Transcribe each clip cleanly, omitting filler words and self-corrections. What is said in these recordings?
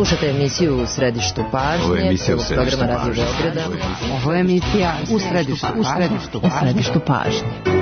Slušate emisiju U središtu pažnje, prvog programa Radio Beograda. Ovo je emisija U središtu pažnje.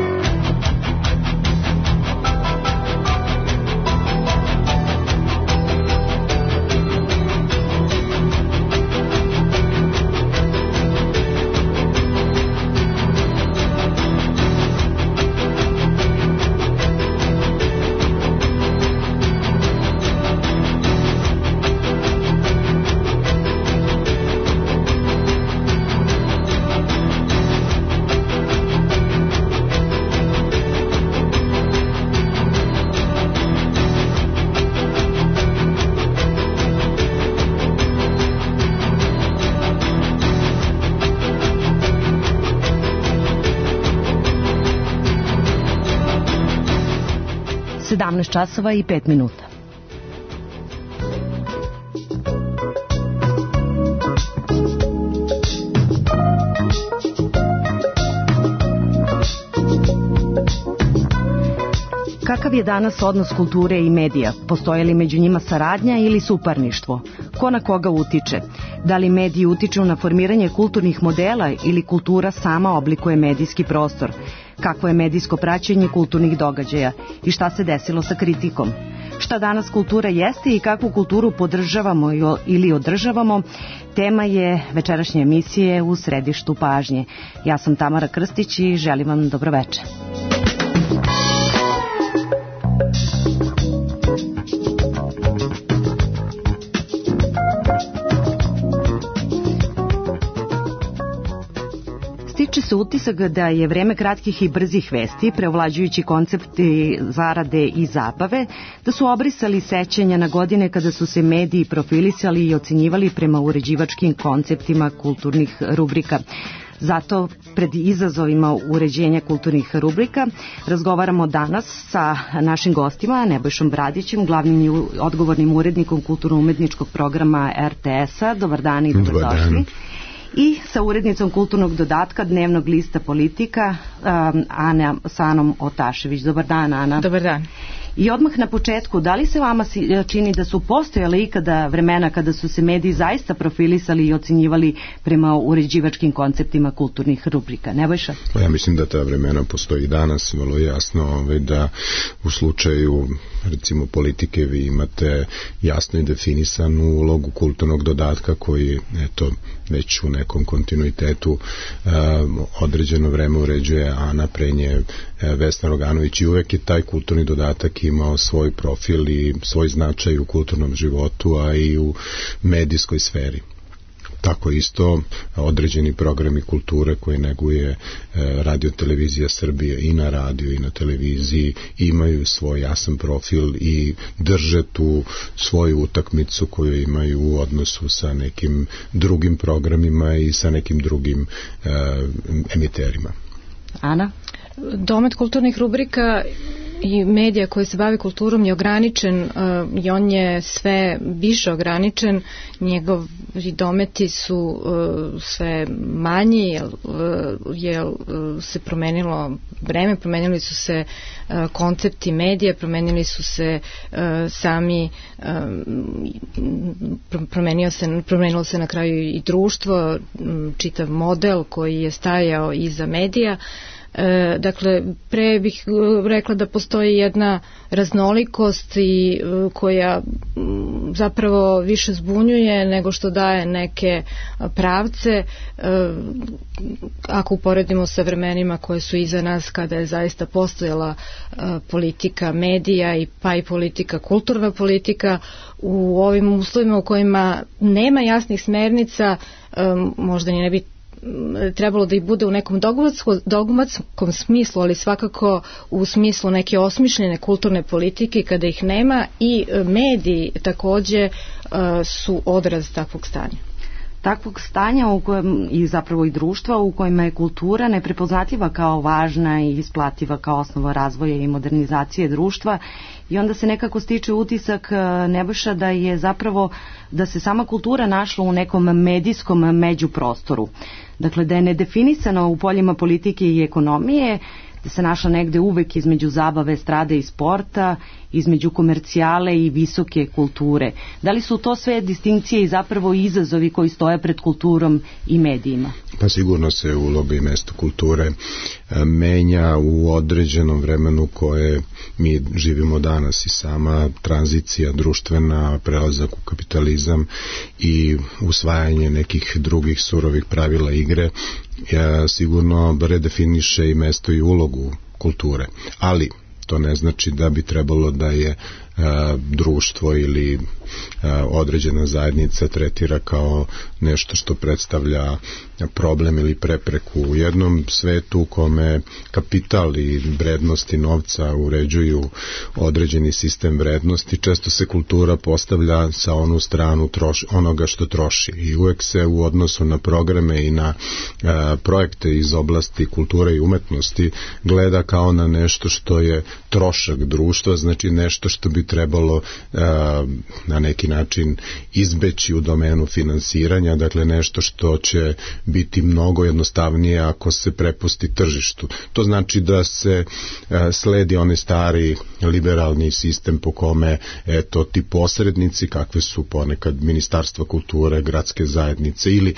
Časova i 5 minuta. Kakav je danas odnos kulture i medija? Postoje li među njima saradnja ili suparništvo? Ko na koga utiče? Da li mediji utiču na formiranje kulturnih modela ili kultura sama oblikuje medijski prostor? Kakvo je medijsko praćenje kulturnih događaja i šta se desilo sa kritikom? Šta danas kultura jeste i kakvu kulturu podržavamo ili održavamo? Tema je večerašnje emisije U središtu pažnje. Ja sam Tamara Krstić i želim vam dobroveče. Stiče se utisak da je vreme kratkih i brzih vesti, preovlađujući koncepti zarade i zabave, da su obrisali sećanja na godine kada su se mediji profilisali i ocenjivali prema uređivačkim konceptima kulturnih rubrika. Zato pred izazovima uređenja kulturnih rubrika razgovaramo danas sa našim gostima, Nebojšom Bradićem, glavnim i odgovornim urednikom kulturno-umetničkog programa RTS-a. Dobar dan i dobrodošli. I sa urednicom kulturnog dodatka Dnevnog lista Politika, Anom Otašević. Dobar dan, Ana. Dobar dan. I odmah na početku, da li se vama čini da su postojale ikada vremena kada su se mediji zaista profilisali i ocenjivali prema uređivačkim konceptima kulturnih rubrika? Nebojša? Ja mislim da ta vremena postoji danas, vrlo jasno da u slučaju recimo Politike vi imate jasno i definisanu ulogu kulturnog dodatka koji već u nekom kontinuitetu određeno vreme uređuje Ana, pre nje Vesna Roganović, i uvek je taj kulturni dodatak imao svoj profil i svoj značaj u kulturnom životu, a i u medijskoj sferi. Tako isto određeni programi kulture koje neguje Radio Televizija Srbije i na radiju i na televiziji imaju svoj jasan profil i drže tu svoju utakmicu koju imaju u odnosu sa nekim drugim programima i sa nekim drugim emiterima. Ana? Domet kulturnih rubrika i medija koji se bavi kulturom je ograničen i on je sve više ograničen. Njegovi dometi su sve manji jer se promenilo vreme, promenili su se koncepti medija, promenili su se sami, promenilo se na kraju i društvo, čitav model koji je stajao iza medija. Dakle, pre bih rekla da postoji jedna raznolikost i koja zapravo više zbunjuje nego što daje neke pravce, ako uporedimo sa vremenima koje su iza nas kada je zaista postojala politika medija pa i politika, kulturna politika. U ovim uslovima u kojima nema jasnih smernica, možda ni ne bi trebalo da ih bude u nekom dogmatskom smislu, ali svakako u smislu neke osmišljene kulturne politike, kada ih nema, i mediji takođe su odraz takvog stanja. Takvog stanja u kojem, i zapravo i društva u kojima je kultura neprepoznatljiva kao važna i isplativa kao osnova razvoja i modernizacije društva, i onda se nekako stiče utisak, Nebojša, da je zapravo da se sama kultura našla u nekom medijskom međuprostoru. Dakle, da je nedefinisana u poljima politike i ekonomije, se našla negde uvek između zabave, estrade i sporta, između komercijale i visoke kulture. Da li su to sve distinkcije i zapravo izazovi koji stoje pred kulturom i medijima? Pa sigurno se uloga i mesto kulture menja u određenom vremenu koje mi živimo danas i sama tranzicija društvena, prelazak u kapitalizam i usvajanje nekih drugih surovih pravila igre sigurno redefiniše i mesto i ulogu kulture. Ali to ne znači da bi trebalo da je društvo ili određena zajednica tretira kao nešto što predstavlja problem ili prepreku. U jednom svetu u kome kapital i vrednosti novca uređuju određeni sistem vrednosti, često se kultura postavlja sa onu stranu onoga što troši i uvek se u odnosu na programe i na projekte iz oblasti kulture i umetnosti gleda kao na nešto što je trošak društva, znači nešto što bi trebalo na neki način izbeći u domenu finansiranja, dakle nešto što će biti mnogo jednostavnije ako se prepusti tržištu. To znači da se sledi onaj stari liberalni sistem po kome ti posrednici, kakve su ponekad ministarstva kulture, gradske zajednice ili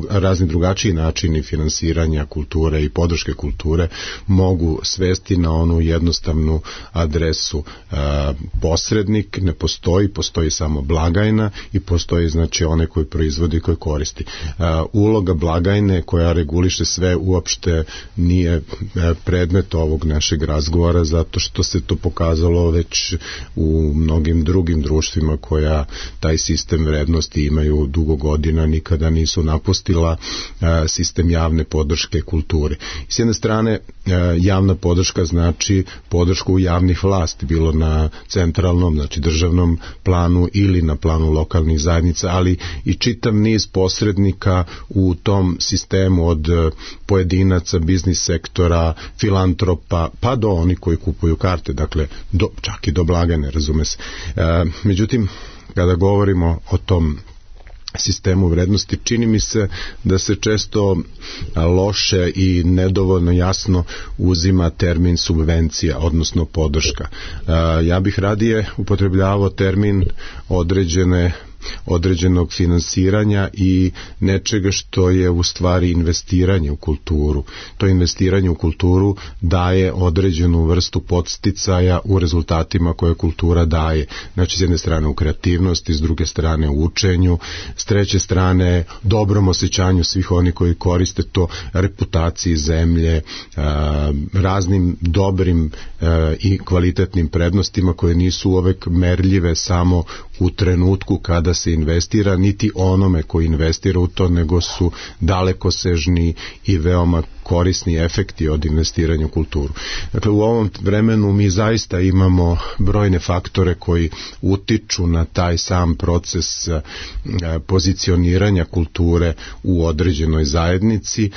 razni drugačiji načini finansiranja kulture i podrške kulture mogu svesti na onu jednostavnu adresu. Posrednik ne postoji samo blagajna i postoji znači onaj koji proizvodi i koji koristi. Uloga blagajne koja reguliše sve uopšte nije predmet ovog našeg razgovora zato što se to pokazalo već u mnogim drugim društvima koja taj sistem vrednosti imaju dugo godina, nikada nisu napustila sistem javne podrške kulturi. S jedne strane javna podrška znači podršku javnih vlasti, bilo na centralnom, znači državnom planu ili na planu lokalnih zajednica, ali i čitav niz posrednika u tom sistemu od pojedinaca, biznis sektora, filantropa, pa do onih koji kupuju karte, dakle čak i do blagajne, razume se. Međutim, kada govorimo o tom sistemu vrednosti, čini mi se da se često loše i nedovoljno jasno uzima termin subvencija, odnosno podrška. Ja bih radije upotrebljavao termin određenog finansiranja i nečega što je u stvari investiranje u kulturu. To investiranje u kulturu daje određenu vrstu podsticaja u rezultatima koje kultura daje. Znači, s jedne strane u kreativnosti, s druge strane u učenju, s treće strane dobrom osjećanju svih onih koji koriste to, reputaciji zemlje, raznim dobrim i kvalitetnim prednostima koje nisu uvek merljive samo u trenutku kada se investira, niti onome koji investira u to, nego su dalekosežni i veoma korisni efekti od investiranja u kulturu. Dakle, u ovom vremenu mi zaista imamo brojne faktore koji utiču na taj sam proces pozicioniranja kulture u određenoj zajednici.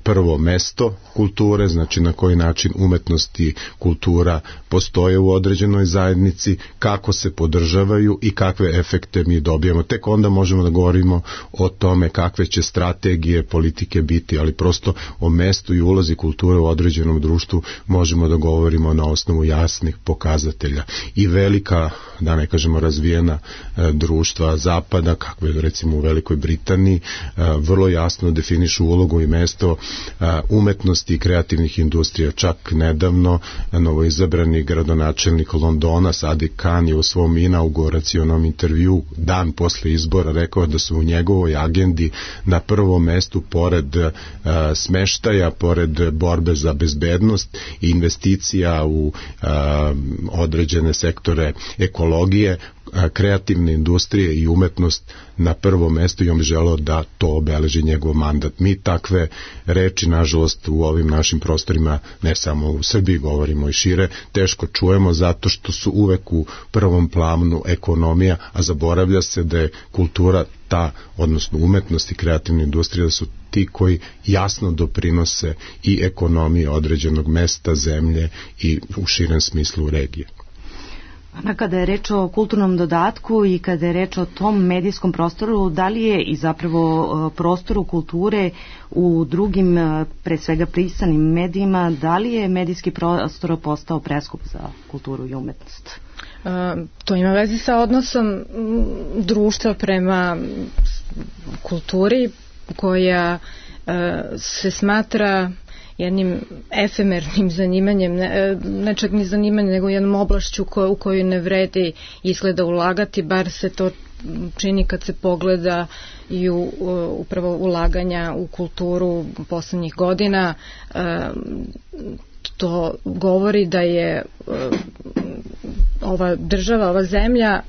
Prvo, mesto kulture, znači na koji način umetnost i kultura postoje u određenoj zajednici, kako se podržavaju i kakve efekte mi dobijamo. Tek onda možemo da govorimo o tome kakve će strategije politike biti, ali prosto o mestu i ulozi kulture u određenom društvu možemo da govorimo na osnovu jasnih pokazatelja. I velika, da ne kažemo razvijena društva zapada, kakve recimo u Velikoj Britaniji, vrlo jasno definišu ulogu i mesto umetnosti i kreativnih industrija. Čak nedavno novoizabrani gradonačelnik Londona, Sadiq Khan, je u svom inauguracionom intervju dan posle izbora rekao da su u njegovoj agendi na prvom mestu pored smeštaja, pored borbe za bezbednost i investicija u određene sektore ekologije, kreativne industrije i umetnost na prvo mesto, i on bi želeo da to obeleži njegov mandat. Mi takve reči, nažalost, u ovim našim prostorima, ne samo u Srbiji, govorimo i šire, teško čujemo zato što su uvek u prvom planu ekonomija, a zaboravlja se da je kultura ta, odnosno umetnost i kreativna industrija, da su ti koji jasno doprinose i ekonomiji određenog mesta, zemlje i u širem smislu regije. Ana, kada je reč o kulturnom dodatku i kada je reč o tom medijskom prostoru, da li je i zapravo prostoru kulture u drugim, pre svega pisanim medijima, da li je medijski prostor postao preskup za kulturu i umetnost? To ima veze sa odnosom društva prema kulturi koja se smatra jednim efemernim zanimanjem, ne čak ni zanimanjem, nego jednom oblašću u koju ne vredi izgleda ulagati, bar se to čini kad se pogleda i upravo ulaganja u kulturu poslednjih godina. To govori da je ova država, ova zemlja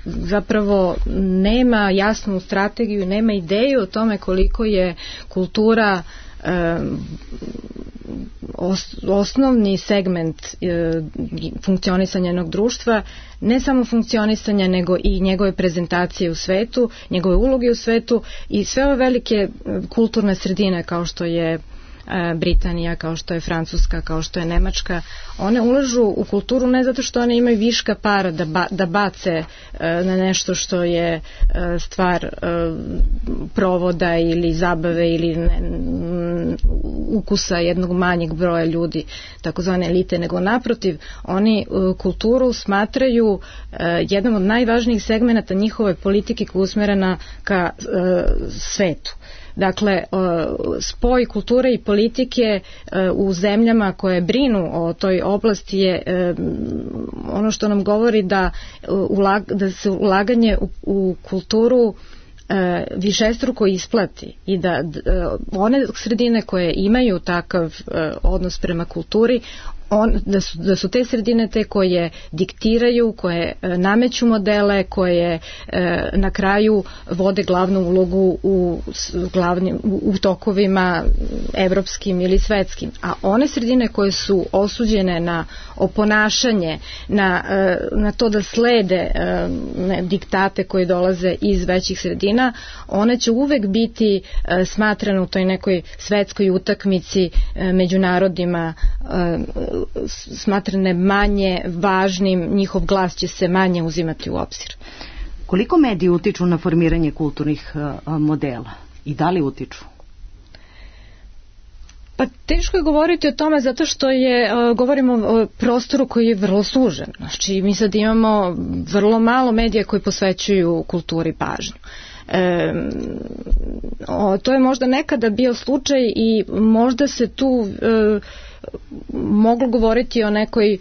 zapravo nema jasnu strategiju, nema ideju o tome koliko je kultura osnovni segment funkcionisanja jednog društva, ne samo funkcionisanja nego i njegove prezentacije u svetu, njegove uloge u svetu i sve ove velike kulturne sredine kao što je Britanija, kao što je Francuska, kao što je Nemačka, one ulažu u kulturu ne zato što one imaju viška para da bace na nešto što je stvar provoda ili zabave ili ukusa jednog manjeg broja ljudi, takozvane elite, nego naprotiv, oni kulturu smatraju jednom od najvažnijih segmenata njihove politike koja je usmerena ka svetu. Dakle, spoj kulture i politike u zemljama koje brinu o toj oblasti je ono što nam govori da se ulaganje u kulturu višestruko isplati i da one sredine koje imaju takav odnos prema kulturi, da su te sredine te koje diktiraju, koje nameću modele, koje na kraju vode glavnu ulogu u tokovima evropskim ili svetskim. A one sredine koje su osuđene na oponašanje, na to da slede diktate koji dolaze iz većih sredina, one će uvek biti smatrane u toj nekoj svetskoj utakmici među narodima smatrane manje važnim, njihov glas će se manje uzimati u obzir. Koliko mediji utiču na formiranje kulturnih modela i da li utiču? Pa teško je govoriti o tome zato što govorimo o prostoru koji je vrlo sužen. Znači mi sad imamo vrlo malo medija koji posvećuju kulturi pažnju. To je možda nekada bio slučaj i možda se tu moglo govoriti o nekoj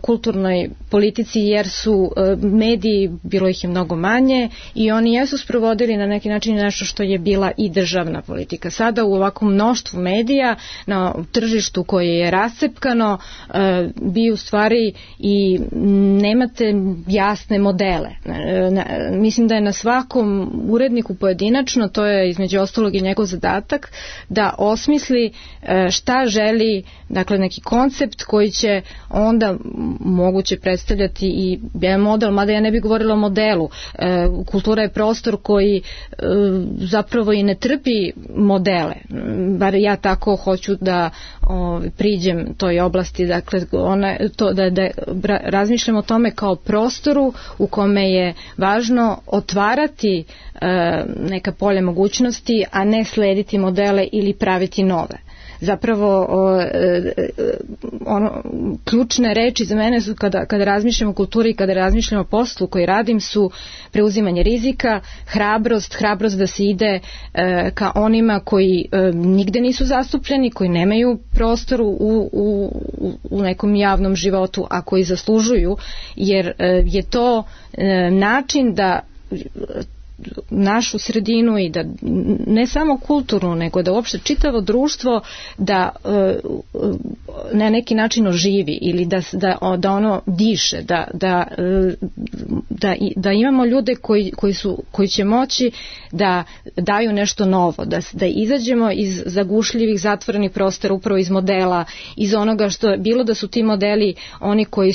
kulturnoj politici jer su mediji, bilo ih je mnogo manje i oni jesu sprovodili na neki način nešto što je bila i državna politika. Sada u ovakvom mnoštvu medija na tržištu koje je rascepkano vi u stvari i nemate jasne modele. Mislim da je na svakom uredniku pojedinačno, to je između ostalog i njegov zadatak, da osmisli šta želi, dakle neki koncept koji će onda moguće predstavljati i jedan model, mada ja ne bih govorila o modelu. Kultura je prostor koji zapravo i ne trpi modele, bar ja tako hoću da priđem toj oblasti, dakle da razmišljam o tome kao prostoru u kome je važno otvarati neka polja mogućnosti, a ne slediti modele ili praviti nove. Zapravo ključne reči za mene su kada razmišljam o kulturi i kada razmišljam o poslu koji radim su preuzimanje rizika, hrabrost da se ide ka onima koji nigde nisu zastupljeni, koji nemaju prostor u nekom javnom životu, a koji zaslužuju, jer je to način da našu sredinu i da ne samo kulturnu, nego da uopšte čitavo društvo da na neki način oživi ili da ono diše, da da imamo ljude koji će moći da daju nešto novo, da izađemo iz zagušljivih zatvorenih prostora, upravo iz modela, iz onoga što bilo da su ti modeli oni koji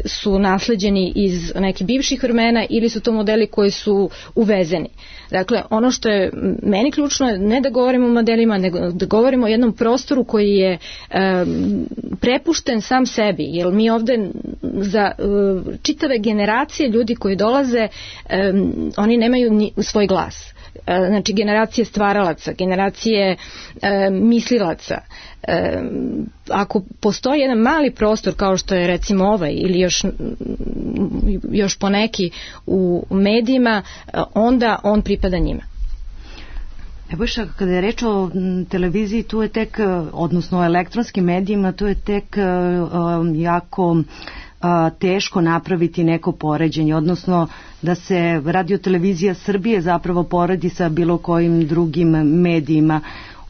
su nasleđeni iz nekih bivših vremena ili su to modeli koji su uvezeni. Dakle, ono što je meni ključno je ne da govorimo o modelima, nego da govorimo o jednom prostoru koji je prepušten sam sebi, jer mi ovde za čitave generacije ljudi koji dolaze, oni nemaju svoj glas. Znači generacije stvaralaca, generacije mislilaca. Ako postoji jedan mali prostor kao što je recimo ovaj ili još poneki u medijima, onda on pripada njima. Nebojša, kada je reč o televiziji, tu je tek, odnosno o elektronskim medijima, tu je tek jako teško napraviti neko poređenje, odnosno da se Radio-televizija Srbije zapravo poredi sa bilo kojim drugim medijima.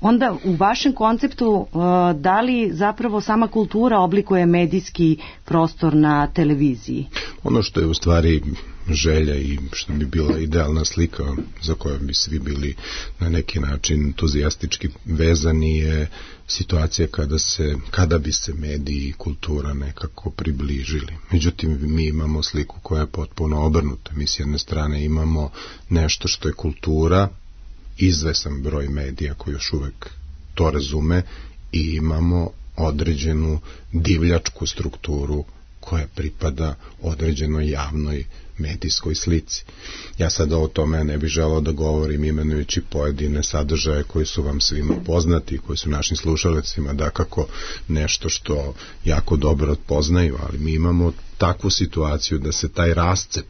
Onda u vašem konceptu da li zapravo sama kultura oblikuje medijski prostor na televiziji? Ono što je u stvari želja i što bi bila idealna slika za kojom bi svi bili na neki način entuzijastički vezani je situacija kada bi se mediji i kultura nekako približili. Međutim, mi imamo sliku koja je potpuno obrnuta. Mi s jedne strane imamo nešto što je kultura, izvesan broj medija koji još uvek to razume, i imamo određenu divljačku strukturu koja pripada određenoj javnoj medijskoj slici. Ja sada o tome ne bih želeo da govorim imenujući pojedine sadržaje koji su vam svima poznati, koji su našim slušalicima dakako nešto što jako dobro poznaju, ali mi imamo takvu situaciju da se taj rascep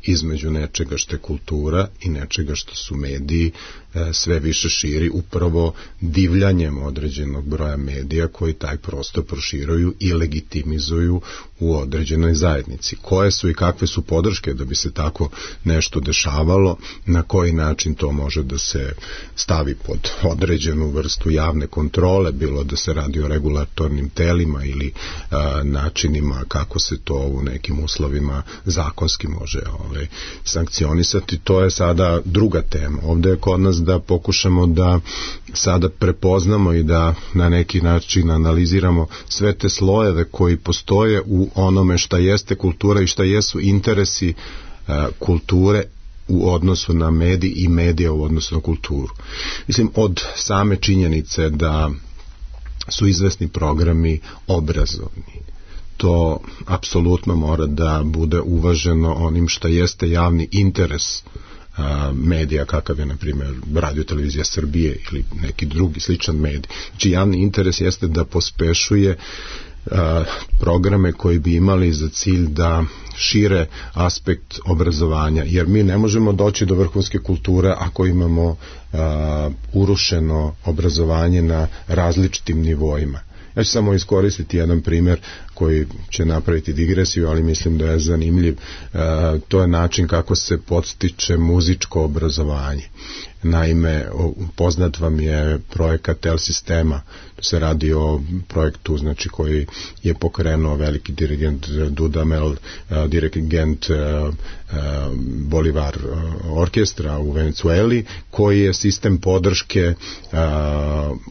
između nečega što je kultura i nečega što su mediji sve više širi upravo divljanjem određenog broja medija koji taj prostor proširuju i legitimizuju u određenoj zajednici. Koje su i kakve su podrške da bi se tako nešto dešavalo, na koji način to može da se stavi pod određenu vrstu javne kontrole, bilo da se radi o regulatornim telima ili načinima kako se to u nekim uslovima zakonski može sankcionisati, to je sada druga tema. Ovde je kod nas da pokušamo da sada prepoznamo i da na neki način analiziramo sve te slojeve koji postoje u onome šta jeste kultura i šta jesu interesi kulture u odnosu na medij i medija u odnosu na kulturu. Mislim, od same činjenice da su izvesni programi obrazovni, to apsolutno mora da bude uvaženo onim šta jeste javni interes medija, kakav je na primjer Radio-televizija Srbije ili neki drugi sličan medij. Znači javni interes jeste da pospešuje programe koji bi imali za cilj da šire aspekt obrazovanja, jer mi ne možemo doći do vrhunske kulture ako imamo urušeno obrazovanje na različitim nivoima. Ja ću samo iskoristiti jedan primjer koji će napraviti digresiju, ali mislim da je zanimljiv. To je način kako se podstiče muzičko obrazovanje. Naime, poznat vam je projekat Tel Sistema. Se radi o projektu, znači, koji je pokrenuo veliki dirigent Dudamel, dirigent Bolivar orkestra u Venecueli, koji je sistem podrške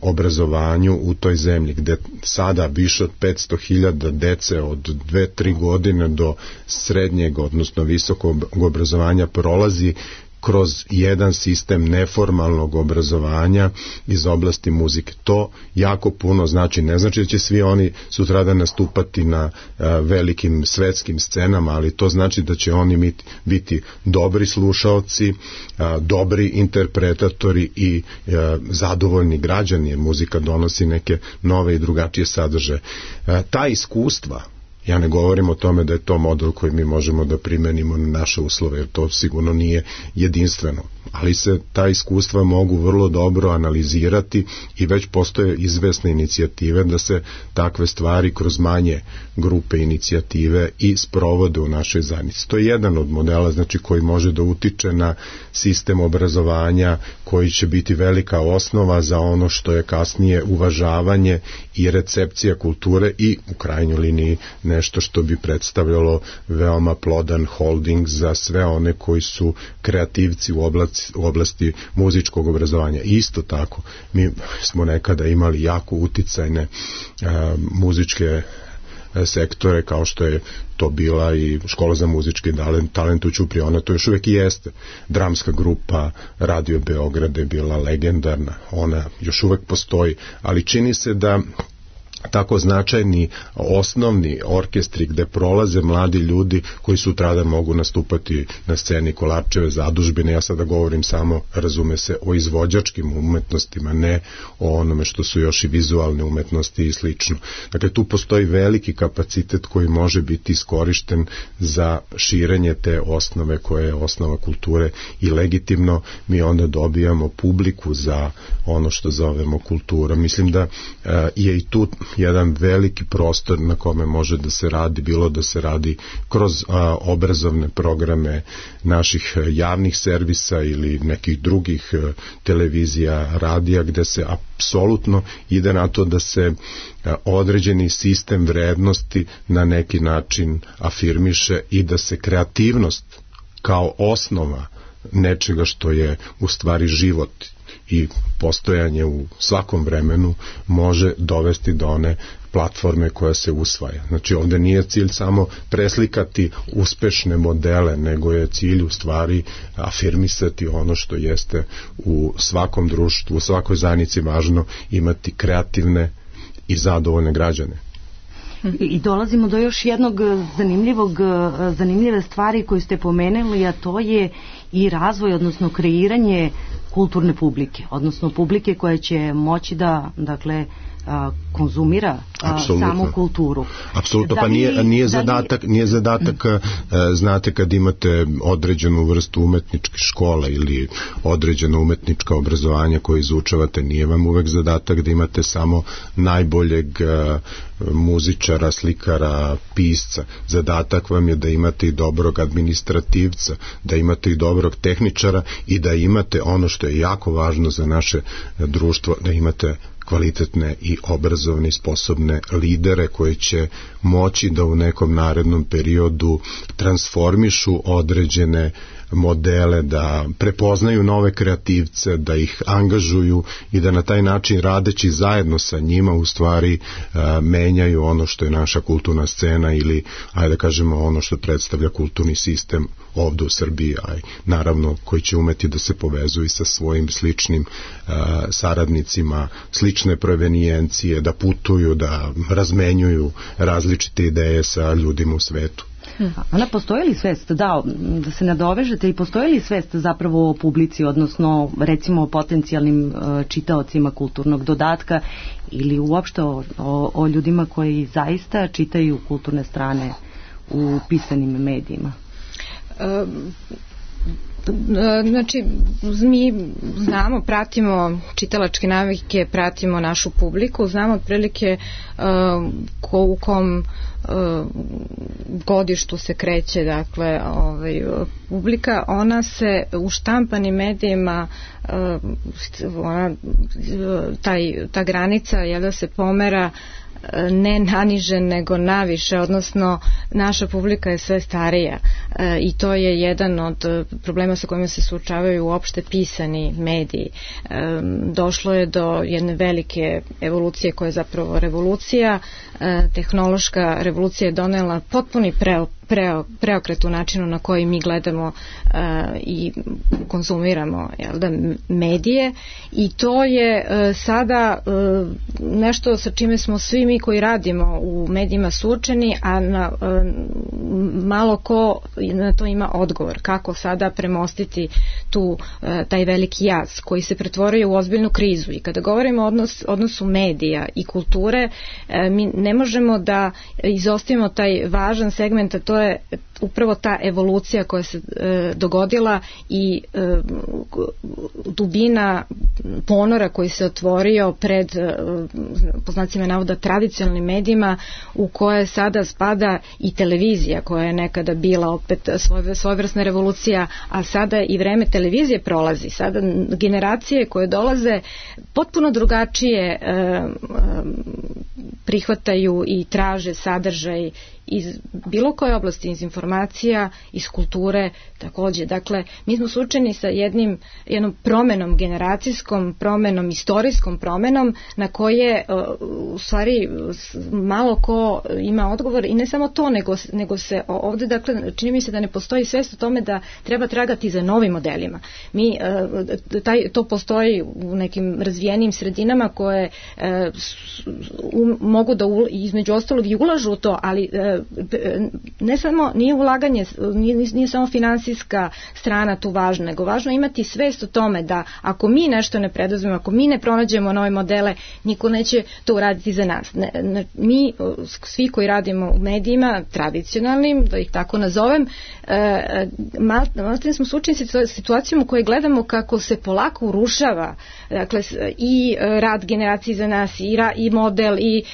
obrazovanju u toj zemlji, gde sada više od 500.000 dece od 2-3 godine do srednjeg, odnosno visokog obrazovanja prolazi kroz jedan sistem neformalnog obrazovanja iz oblasti muzike. To jako puno znači. Ne znači da će svi oni sutradan nastupati na velikim svetskim scenama, ali to znači da će oni biti dobri slušaoci, dobri interpretatori i zadovoljni građani, jer muzika donosi neke nove i drugačije sadržaje. Ta iskustva, ja ne govorim o tome da je to model koji mi možemo da primenimo na naše uslove, jer to sigurno nije jedinstveno, ali se ta iskustva mogu vrlo dobro analizirati i već postoje izvesne inicijative da se takve stvari kroz manje grupe inicijative i sprovode u našoj zajednici. To je jedan od modela, znači, koji može da utiče na sistem obrazovanja, koji će biti velika osnova za ono što je kasnije uvažavanje i recepcija kulture i u krajnjoj liniji nešto što bi predstavljalo veoma plodan holding za sve one koji su kreativci u oblasti muzičkog obrazovanja. Isto tako, mi smo nekada imali jako uticajne muzičke sektore, kao što je to bila i škola za muzički talent u Ćupriji, ona to još uvek i jeste. Dramska grupa Radio Beograd je bila legendarna, ona još uvek postoji, ali čini se da tako značajni osnovni orkestri gde prolaze mladi ljudi koji sutradan mogu nastupati na sceni Kolarčeve zadužbine. Ja sada govorim samo, razume se, o izvođačkim umetnostima, ne o onome što su još i vizualne umetnosti i slično. Dakle, tu postoji veliki kapacitet koji može biti iskorišten za širenje te osnove koje je osnova kulture i legitimno mi onda dobijamo publiku za ono što zovemo kultura. Mislim da je i tu jedan veliki prostor na kome može da se radi, bilo da se radi kroz obrazovne programe naših javnih servisa ili nekih drugih televizija, radija, gde se apsolutno ide na to da se određeni sistem vrednosti na neki način afirmiše i da se kreativnost kao osnova nečega što je u stvari život i postojanje u svakom vremenu može dovesti do one platforme koja se usvaja. Znači, ovde nije cilj samo preslikati uspešne modele, nego je cilj u stvari afirmisati ono što jeste u svakom društvu, u svakoj zajednici važno imati kreativne i zadovoljne građane. I dolazimo do još jednog zanimljive stvari koju ste pomenuli, a to je i razvoj, odnosno kreiranje kulturne publike, odnosno publike koja će moći da, dakle, konzumira samu kulturu. Apsolutno, pa nije zadatak, znate, kad imate određenu vrstu umetničke škole ili određeno umetnička obrazovanja koje izučavate, nije vam uvek zadatak da imate samo najboljeg muzičara, slikara, pisca. Zadatak vam je da imate i dobrog administrativca, da imate i dobrog tehničara i da imate ono što je jako važno za naše društvo, da imate kvalitetne i obrazovne i sposobne lidere koji će moći da u nekom narednom periodu transformišu određene modele, da prepoznaju nove kreativce, da ih angažuju i da na taj način, radeći zajedno sa njima, u stvari menjaju ono što je naša kulturna scena ili, ajde da kažemo, ono što predstavlja kulturni sistem ovde u Srbiji, a naravno koji će umeti da se povezuju sa svojim sličnim saradnicima, slične provenijencije, da putuju, da razmenjuju različite ideje sa ljudima u svetu. Ona, postoji li svest, da se nadovežete, i postoji li svest zapravo o publici, odnosno recimo o potencijalnim čitaocima kulturnog dodatka ili uopšte o ljudima koji zaista čitaju kulturne strane u pisanim medijima? Znači, mi znamo, pratimo čitalačke navike, pratimo našu publiku, znamo otprilike u kom godištu se kreće, dakle, publika. Ona se u štampanim medijima, ta granica je da se pomera ne naniže nego naviše, odnosno naša publika je sve starija i to je jedan od problema sa kojima se suočavaju uopšte pisani mediji. Došlo je do jedne velike evolucije koja je zapravo revolucija. Tehnološka revolucija je donela potpuni preokret u načinu na koji mi gledamo i konzumiramo medije, i to je sada nešto sa čime smo svi mi koji radimo u medijima suočeni, a malo ko na to ima odgovor, kako sada premostiti taj veliki jaz koji se pretvorio u ozbiljnu krizu. I kada govorimo o odnosu medija i kulture, mi ne možemo da izostavimo taj važan segment, a to je upravo ta evolucija koja se dogodila i dubina ponora koji se otvorio pred, po znacima navoda, tradicionalnim medijima, u koje sada spada i televizija, koja je nekada bila opet svojevrsna revolucija, a sada i vreme televizije prolazi. Sada generacije koje dolaze potpuno drugačije prihvataju i traže sadržaj iz bilo koje oblasti, iz informacija, iz kulture takođe. Dakle, mi smo suočeni sa jednom promenom, generacijskom promenom, istorijskom promenom na koje u stvari malo ko ima odgovor i ne samo to, nego se ovde, dakle, čini mi se da ne postoji svest o tome da treba tragati za novim modelima. To postoji u nekim razvijenim sredinama koje mogu da između ostalog i ulažu u to, ali ne samo, nije ulaganje, nije samo finansijska strana tu važna, nego važno je imati svest o tome da ako mi nešto ne preduzmemo, ako mi ne pronađemo nove modele, niko neće to uraditi za nas. Mi, svi koji radimo u medijima, tradicionalnim, da ih tako nazovem, malo smo suočeni sa situacijom u kojoj gledamo kako se polako urušava, dakle, i rad generacije za nas, i model, i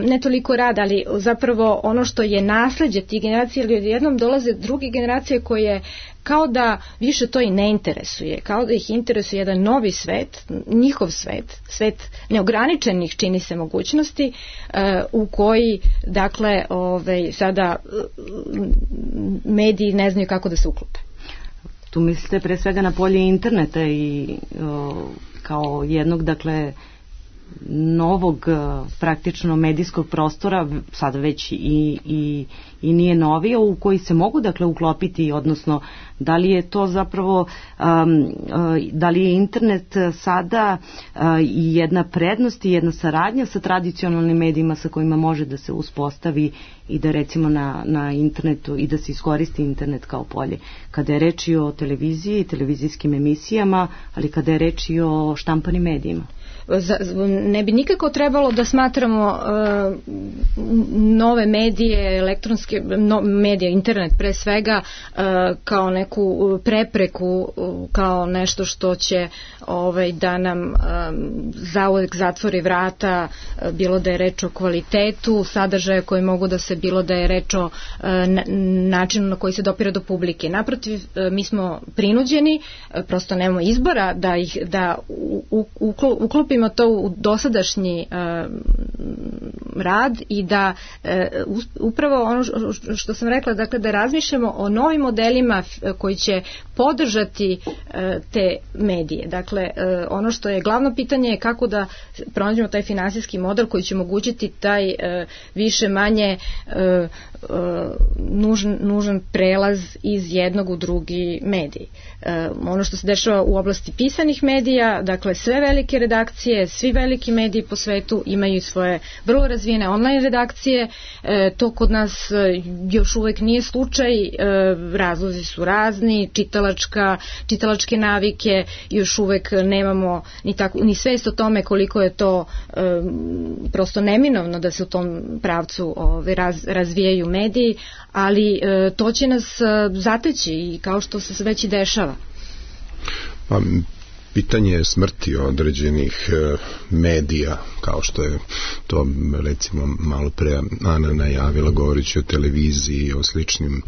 ne toliko rad, ali zapravo ono što je nasleđe tih generacija, ili jednom dolaze druge generacije koje kao da više to i ne interesuje, kao da ih interesuje jedan novi svet, njihov svet neograničenih, čini se, mogućnosti, u koji, dakle, sada mediji ne znaju kako da se uklope. Tu mislite pre svega na polje interneta i kao jednog, dakle, novog praktično medijskog prostora, sada već i nije novije, u koji se mogu, dakle, uklopiti, odnosno da li je to zapravo da li je internet sada i jedna prednost i jedna saradnja sa tradicionalnim medijima sa kojima može da se uspostavi i da recimo na internetu i da se iskoristi internet kao polje. Kada je reč i o televiziji, televizijskim emisijama, ali kada je reč i o štampanim medijima. Ne bi nikako trebalo da smatramo nove medije, elektronske medije, internet pre svega, kao neku prepreku, kao nešto što će da nam zauvek zatvori vrata, bilo da je reč o kvalitetu sadržaja koji mogu da se, bilo da je reč o načinu na koji se dopire do publike. Naprotiv, mi smo prinuđeni, prosto nemamo izbora da uklopimo to u dosadašnji rad i da upravo ono što sam rekla, dakle, da razmišljamo o novim modelima koji će podržati te medije. Dakle, ono što je glavno pitanje je kako da pronađemo taj finansijski model koji će omogućiti taj više manje nužan prelaz iz jednog u drugi medij. Ono što se dešava u oblasti pisanih medija, dakle, sve velike redakcije, svi veliki mediji po svetu imaju svoje vrlo razvijene online redakcije. To kod nas još uvek nije slučaj, razlozi su razni, čitalačke navike, još uvek nemamo ni svest o tome koliko je to prosto neminovno da se u tom pravcu razvijaju mediji, ali to će nas zateći i kao što se već i dešava. Pa, pitanje smrti određenih medija, kao što je to recimo malo pre Ana najavila govoreći o televiziji, o sličnim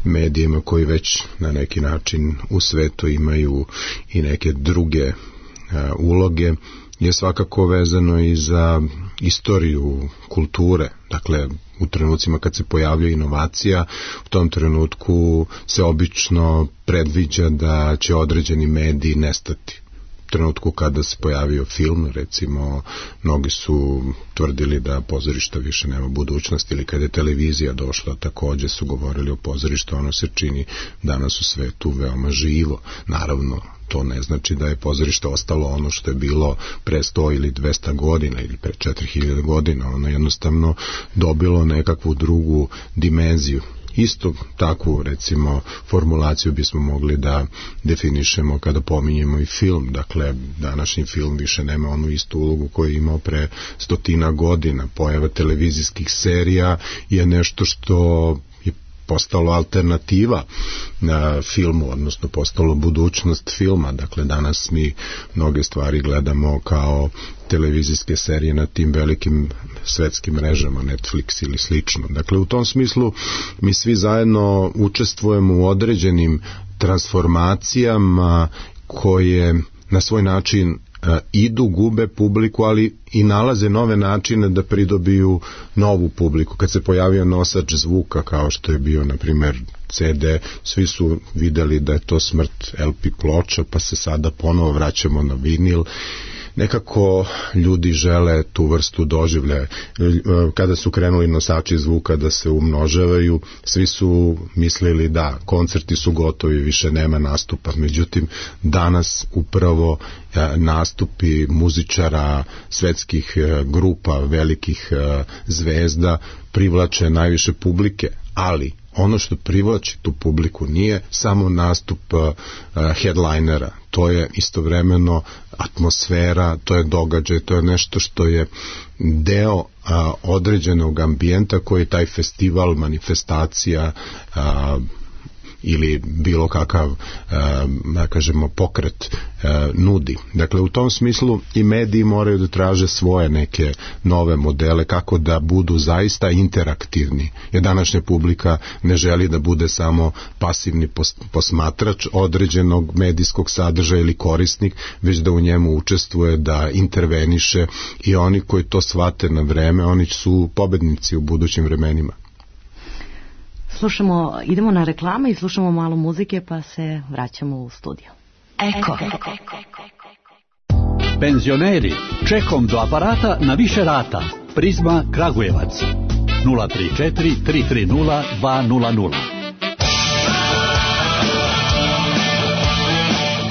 medijima koji već na neki način u svetu imaju i neke druge uloge, je svakako vezano i za istoriju kulture. Dakle, u trenucima kad se pojavlja inovacija, u tom trenutku se obično predviđa da će određeni mediji nestati. U trenutku kada se pojavio film, recimo, mnogi su tvrdili da pozorišta više nema budućnosti, ili kada je televizija došla, takođe su govorili o pozorištu, ono se čini danas u svetu veoma živo. Naravno, to ne znači da je pozorište ostalo ono što je bilo pre 100 ili 200 godina ili pre 4000 godina, ono jednostavno dobilo nekakvu drugu dimenziju. Isto takvu, recimo, formulaciju bismo mogli da definišemo kada pominjemo i film. Dakle, današnji film više nema onu istu ulogu koju je imao pre 100 godina. Pojava televizijskih serija je nešto što je postalo alternativa na filmu, odnosno postalo budućnost filma. Dakle, danas mi mnoge stvari gledamo kao televizijske serije na tim velikim svetskim mrežama, Netflix ili slično. Dakle, u tom smislu mi svi zajedno učestvujemo u određenim transformacijama koje na svoj način idu, gube publiku, ali i nalaze nove načine da pridobiju novu publiku. Kad se pojavio nosač zvuka, kao što je bio, na primer, CD, svi su videli da je to smrt LP ploča, pa se sada ponovo vraćamo na vinil. Nekako ljudi žele tu vrstu doživljaja. Kada su krenuli nosači zvuka da se umnožavaju, svi su mislili da koncerti su gotovi, više nema nastupa. Međutim, danas upravo nastupi muzičara, svetskih grupa, velikih zvezda privlače najviše publike, ali ono što privlači tu publiku nije samo nastup headlinera, to je istovremeno atmosfera, to je događaj, to je nešto što je deo određenog ambijenta koji taj festival, manifestacija ili bilo kakav, da kažemo, pokret nudi. Dakle, u tom smislu i mediji moraju da traže svoje neke nove modele kako da budu zaista interaktivni, jer današnja publika ne želi da bude samo pasivni posmatrač određenog medijskog sadržaja ili korisnik, već da u njemu učestvuje, da interveniše, i oni koji to shvate na vreme, oni su pobednici u budućim vremenima. Idemo na reklame i slušamo malo muzike, pa se vraćamo u studio. Eko. Penzioneri, čekom do aparata na više rata. Prizma Kragujevac 034 330 200.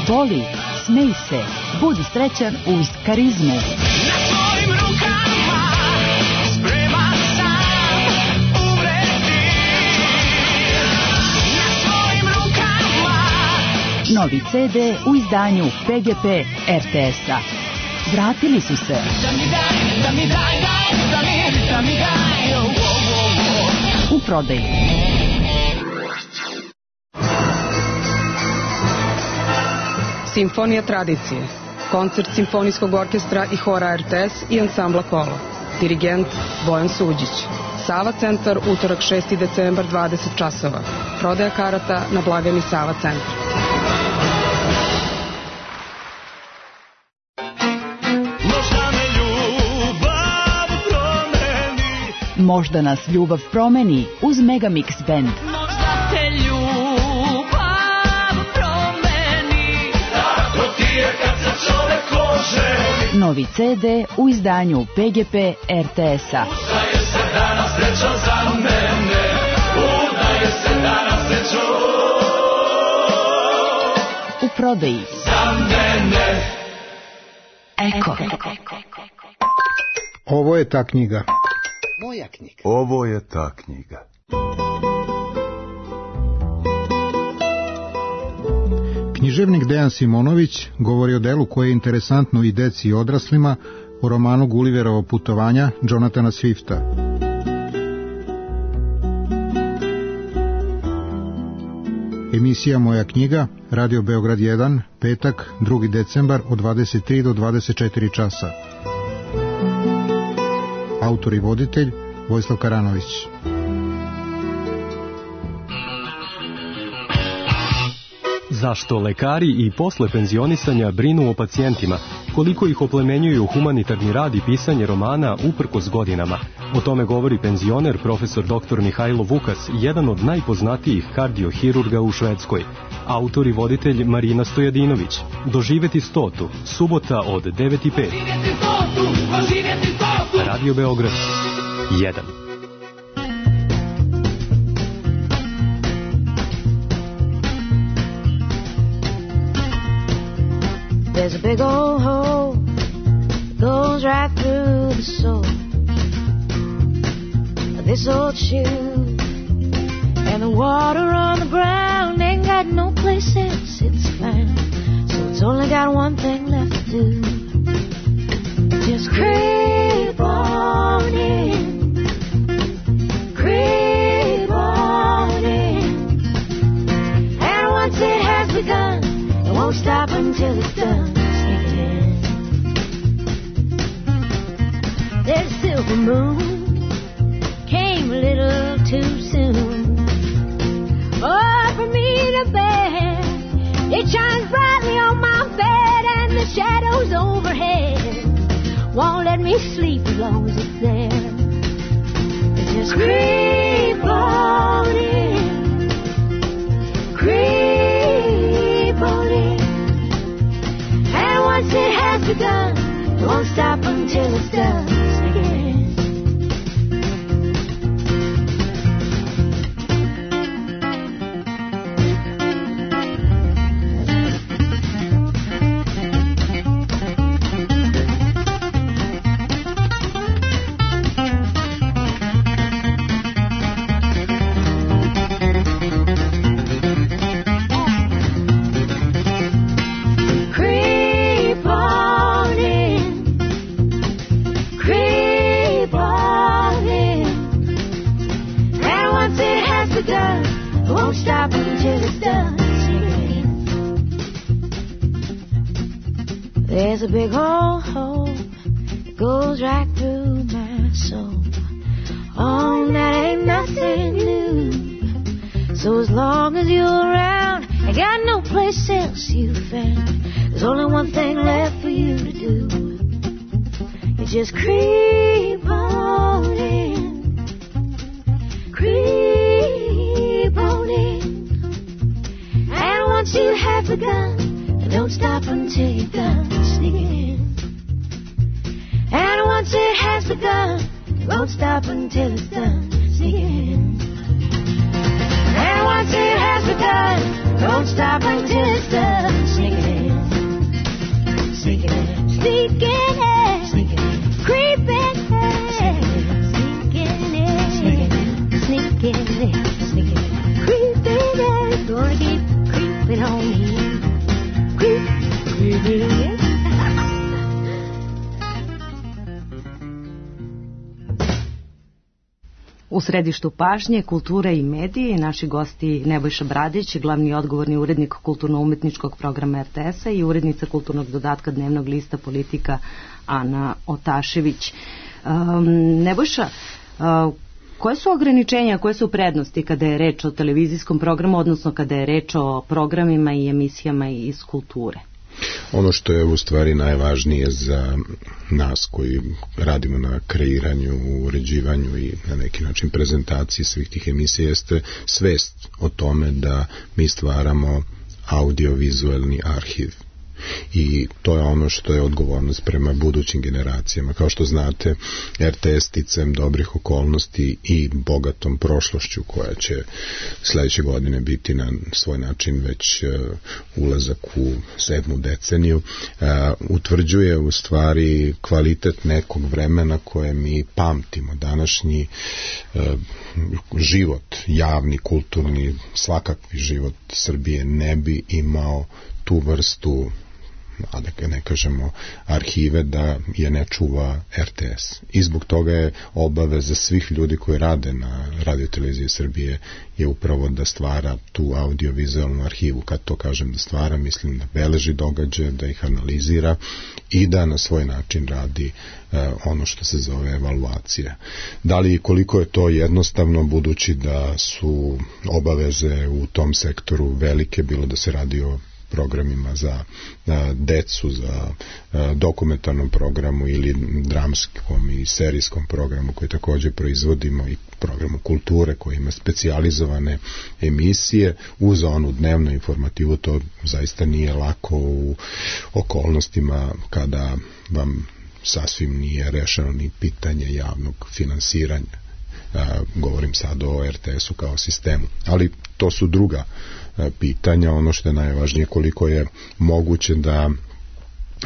Voli, smej se, budi srećan uz Karizmu. Novi CD u izdanju PGP RTS-a. Vratili su se. U prodaji. Simfonija tradicije. Koncert Simfonijskog orkestra i hora RTS i ansambla Kolo. Dirigent Bojan Suđić. Sava centar, utorak 6. decembar, 20 časova. Prodaja karata na blagajni Sava centar. Možda nas ljubav promeni uz Megamix Band. Možda te ljubav promeni, tako ti je kad se čovek oženi. Novi CD u izdanju PGP RTS-a. Udaje se danas srećan za mene, udaje se danas srećan u prodaji. Za mene. Eko. Ovo je ta knjiga. Moja knjiga. Ovo je ta knjiga. Književnik Dejan Simonović govori o delu koje je interesantno i deci i odraslima, o romanu Gulliverovo putovanja Jonathana Swifta. Emisija Moja knjiga, Radio Beograd 1, petak, 2. decembar od 23 do 24 časa. Autor i voditelj Vojislav Karanović. Zašto lekari i posle penzionisanja brinu o pacijentima? Koliko ih oplemenjuju humanitarni rad i pisanje romana uprkos godinama? O tome govori penzioner profesor dr. Mihajlo Vukas, jedan od najpoznatijih kardiohirurga u Švedskoj. Autor i voditelj Marina Stojadinović. Doživeti 100. Subota od 9:05. Radio Beograd 1. There's a big old hole that goes right through the soul of this old shoe, and the water on the ground ain't got no place else it's found, so it's only got one thing left to do. Just creep on in, creep on in, and once it has begun, it won't stop until it's done. There's a silver moon, came a little too soon. Oh, for me to bear, it shines brightly on my bed, and the shadows overhead won't let me sleep as long as it's there. It just creep on in, creep on in. And once it has begun, it won't stop until it's done. There's a big old hole that goes right through my soul. Oh, that ain't nothing new. So as long as you're around, I got no place else you found. There's only one thing left for you to do. You just creep on in, creep on in. And once you have begun, don't stop until you're done sneaking. And once it has begun, it won't stop until it's done sneaking. And once it has begun, it won't stop until it's done sneaking. Sneaking in, sneaking in, sneaking in, creeping in, sneaking in, sneaking in, sneaking in, sneaking in, creeping in. Gonna keep creeping on in. U središtu pažnje, kulture i mediji, naši gosti Nebojša Bradić, glavni odgovorni urednik kulturno-umetničkog programa RTS-a i urednica kulturnog dodatka dnevnog lista Politika Ana Otašević. Nebojša, koje su ograničenja, koje su prednosti kada je reč o televizijskom programu, odnosno kada je reč o programima i emisijama iz kulture? Ono što je u stvari najvažnije za nas koji radimo na kreiranju, uređivanju i na neki način prezentaciji svih tih emisija jeste svest o tome da mi stvaramo audiovizualni arhiv. I to je ono što je odgovornost prema budućim generacijama. Kao što znate, RTS sticam dobrih okolnosti i bogatom prošlošću koja će sledeće godine biti na svoj način već ulazak u 7. deceniju, utvrđuje u stvari kvalitet nekog vremena koje mi pamtimo. Današnji život, javni, kulturni, svakakvi život Srbije ne bi imao tu vrstu, a da ne kažemo arhive, da je ne čuva RTS. I zbog toga je obaveza svih ljudi koji rade na radioteleviziji Srbije je upravo da stvara tu audiovizualnu arhivu. Kad to kažem da stvara, mislim da beleži događaje, da ih analizira i da na svoj način radi ono što se zove evaluacija. Da li i koliko je to jednostavno, budući da su obaveze u tom sektoru velike, bilo da se radi o programima za decu, za dokumentarnom programu ili dramskom i serijskom programu koji takođe proizvodimo i programu kulture koji ima specijalizovane emisije uz onu dnevnu informativu. To zaista nije lako u okolnostima kada vam sasvim nije rešeno ni pitanje javnog finansiranja. Govorim sad o RTS-u kao sistemu, ali to su druga pitanja. Ono što je najvažnije, koliko je moguće da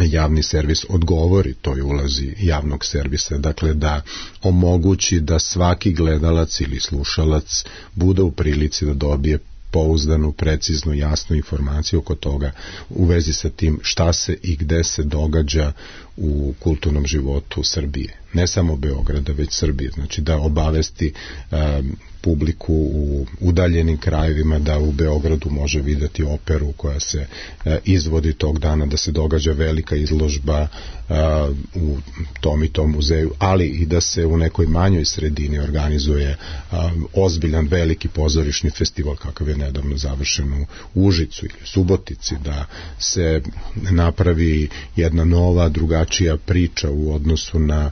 javni servis odgovori toj ulozi javnog servisa, dakle da omogući da svaki gledalac ili slušalac bude u prilici da dobije pouzdanu, preciznu, jasnu informaciju oko toga u vezi sa tim šta se i gde se događa u kulturnom životu Srbije. Ne samo Beograda, već Srbije. Znači da obavesti publiku u udaljenim krajevima, da u Beogradu može videti operu koja se izvodi tog dana, da se događa velika izložba u tom i tom muzeju, ali i da se u nekoj manjoj sredini organizuje ozbiljan veliki pozorišni festival kakav je nedavno završen u Užicu ili Subotici, da se napravi jedna nova, drugačija priča u odnosu na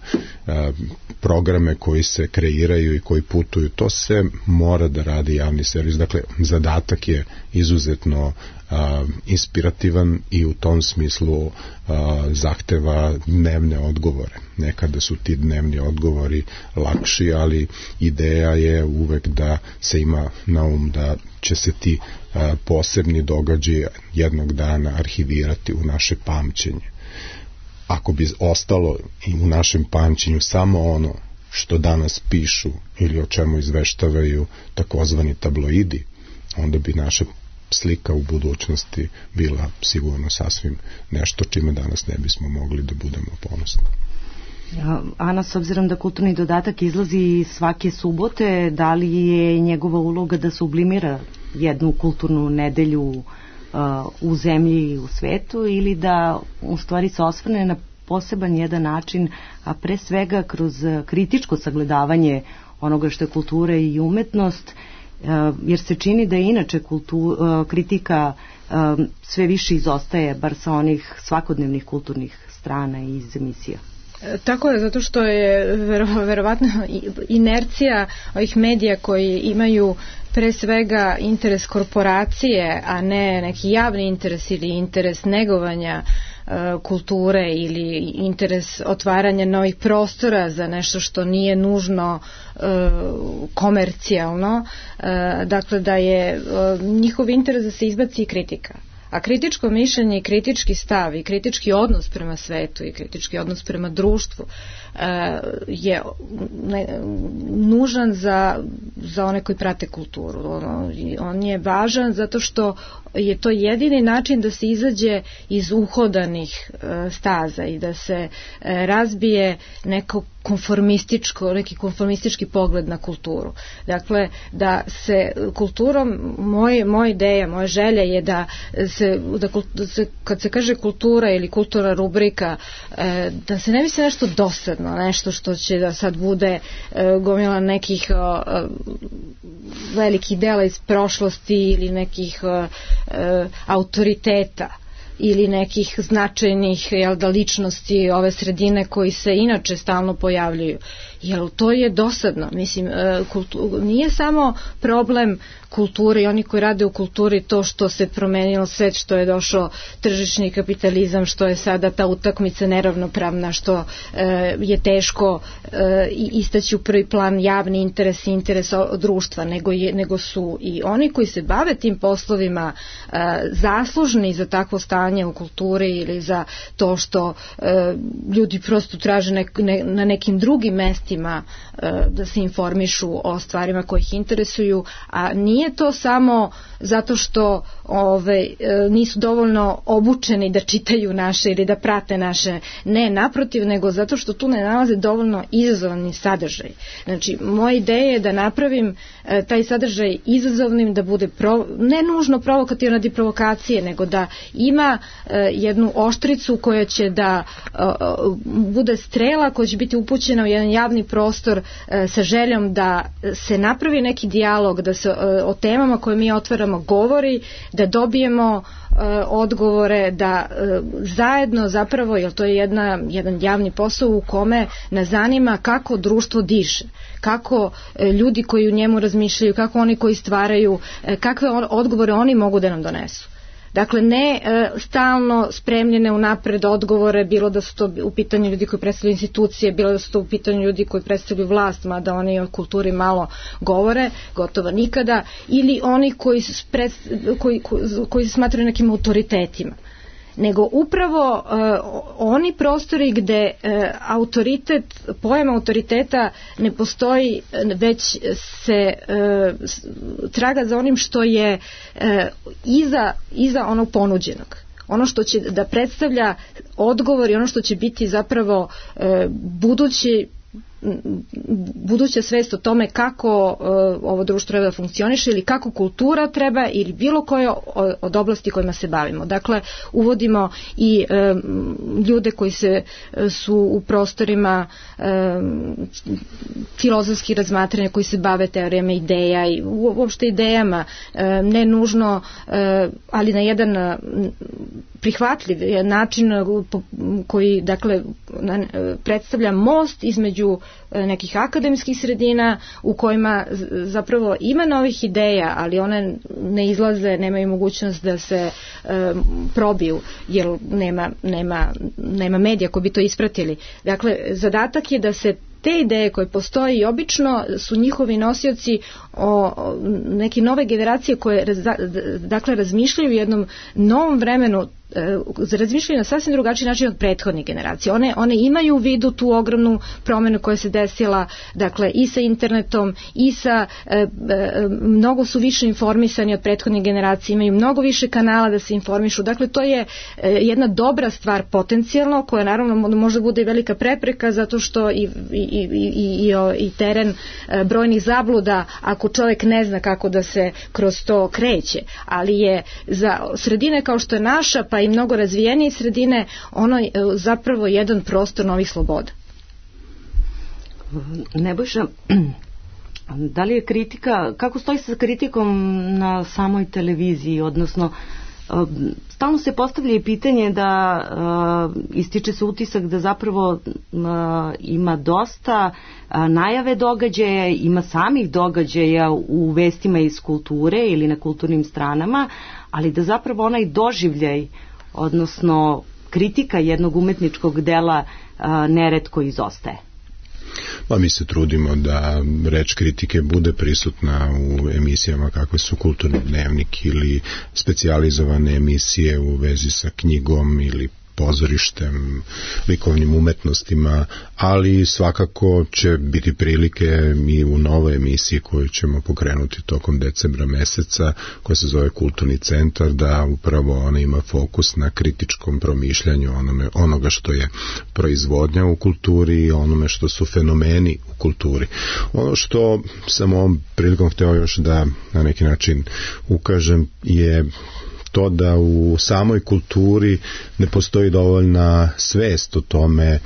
programe koji se kreiraju i koji putuju. To se mora da radi javni servis. Dakle, zadatak je izuzetno inspirativan i u tom smislu zahteva dnevne odgovore. Nekada su ti dnevni odgovori lakši, ali ideja je uvek da se ima na da će se ti posebni događaji jednog dana arhivirati u naše pamćenje. Ako bi ostalo i u našem pamćenju samo ono što danas pišu ili o čemu izveštavaju takozvani tabloidi, onda bi naša slika u budućnosti bila sigurno sasvim nešto čime danas ne bismo mogli da budemo ponosni. Ana, s obzirom da kulturni dodatak izlazi svake subote, da li je njegova uloga da sublimira jednu kulturnu nedelju u zemlji i u svetu, ili da u stvari se osvrne na poseban jedan način, a pre svega kroz kritičko sagledavanje onoga što je kultura i umetnost, jer se čini da je inače kritika sve više izostaje, bar sa onih svakodnevnih kulturnih strana iz emisija. Tako je, zato što je verovatno inercija ovih medija koji imaju pre svega interes korporacije, a ne neki javni interes ili interes negovanja kulture ili interes otvaranja novih prostora za nešto što nije nužno komercijalno, dakle da je njihov interes da se izbaci kritika. A kritičko mišljenje i kritički stav i kritički odnos prema svetu i kritički odnos prema društvu je nužan za one koji prate kulturu. On je važan zato što je to jedini način da se izađe iz uhodanih staza i da se razbije neki konformistički pogled na kulturu. Dakle, da se kulturom, moja ideja, moja želja je da se kad se kaže kultura ili kulturna rubrika, da se ne misli nešto dosadno, nešto što će da sad bude gomila nekih velikih dela iz prošlosti ili nekih autoriteta ili nekih značajnih ličnosti ove sredine koji se inače stalno pojavljuju. Jer to je dosadno. Mislim, nije samo problem kulture i oni koji rade u kulturi to što se promenilo svet, što je došao tržišni kapitalizam, što je sada ta utakmica neravnopravna, što je teško istaći u prvi plan javni interes i interes društva, nego su i oni koji se bave tim poslovima zaslužni za takvo stanje u kulturi ili za to što ljudi prosto traže na nekim drugim mestima da se informišu o stvarima koje ih interesuju, a nije to samo zato što nisu dovoljno obučeni da čitaju naše ili da prate naše, ne, naprotiv, nego zato što tu ne nalaze dovoljno izazovni sadržaj. Znači, moja ideja je da napravim taj sadržaj izazovnim, da bude ne nužno provokativno radi provokacije, nego da ima jednu oštricu koja će da bude strela koja će biti upućena u jedan javni prostor sa željom da se napravi neki dijalog, da se o temama koje mi otvaramo govori, da dobijemo odgovore, da zajedno zapravo, jer to je jedan javni posao u kome nas zanima kako društvo diše, kako ljudi koji u njemu razmišljaju, kako oni koji stvaraju, kakve odgovore oni mogu da nam donesu. Dakle, ne stalno spremljene unapred odgovore, bilo da su to u pitanju ljudi koji predstavljaju institucije, bilo da su to u pitanju ljudi koji predstavljaju vlast, mada oni o kulturi malo govore, gotovo nikada, ili oni koji se smatraju nekim autoritetima. Nego upravo oni prostori gde pojam autoriteta ne postoji, već se traga za onim što je iza onog ponuđenog. Ono što će da predstavlja odgovor i ono što će biti zapravo budući buduća svest o tome kako ovo društvo treba da funkcioniše ili kako kultura treba ili bilo koje od oblasti kojima se bavimo. Dakle, uvodimo i ljude koji su u prostorima filozofskih razmatranja, koji se bave teorijama ideja i uopšte idejama, ne nužno, ali na jedan prihvatljiv način koji, dakle, predstavlja most između nekih akademskih sredina u kojima zapravo ima novih ideja, ali one ne izlaze, nemaju mogućnost da se probiju, jer nema medija koji bi to ispratili. Dakle, zadatak je da se te ideje koje postoje i obično su njihovi nosioci o neke nove generacije koje dakle razmišljaju u jednom novom vremenu, razmišljaju na sasvim drugačiji način od prethodnih generacija. One imaju u vidu tu ogromnu promenu koja se desila, dakle, i sa internetom i sa mnogo su više informisani od prethodnih generacija, imaju mnogo više kanala da se informišu. Dakle, to je jedna dobra stvar potencijalno, koja naravno može bude i velika prepreka, zato što i teren brojnih zabluda ako čovjek ne zna kako da se kroz to kreće, ali je za sredine kao što je naša, pa i mnogo razvijenije sredine, ono je zapravo jedan prostor novih sloboda. Nebojša, da li je kritika, kako stoji sa kritikom na samoj televiziji, odnosno stalno se postavlja i pitanje da ističe se utisak da zapravo ima dosta najave događaja, ima samih događaja u vestima iz kulture ili na kulturnim stranama, ali da zapravo onaj doživljaj, odnosno kritika jednog umetničkog dela neretko izostaje. Pa mi se trudimo da reč kritike bude prisutna u emisijama kakve su Kulturni dnevnik ili specijalizovane emisije u vezi sa knjigom ili pozorištem, likovnim umetnostima, ali svakako će biti prilike i u novoj emisiji koju ćemo pokrenuti tokom decembra meseca, koja se zove Kulturni centar, da upravo ona ima fokus na kritičkom promišljanju onoga što je proizvodnja u kulturi i onome što su fenomeni u kulturi. Ono što sam ovom prilikom hteo još da na neki način ukažem je to da u samoj kulturi ne postoji dovoljna svest o tome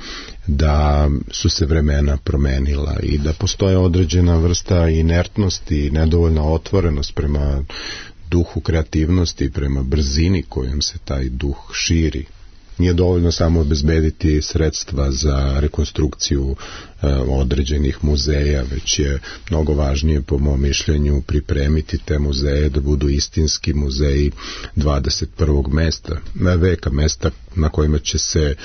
da su se vremena promenila i da postoje određena vrsta inertnosti i nedovoljna otvorenost prema duhu kreativnosti, prema brzini kojom se taj duh širi. Nije dovoljno samo obezbediti sredstva za rekonstrukciju određenih muzeja, već je mnogo važnije, po mom mišljenju, pripremiti te muzeje da budu istinski muzeji 21. veka, mesta na kojima će se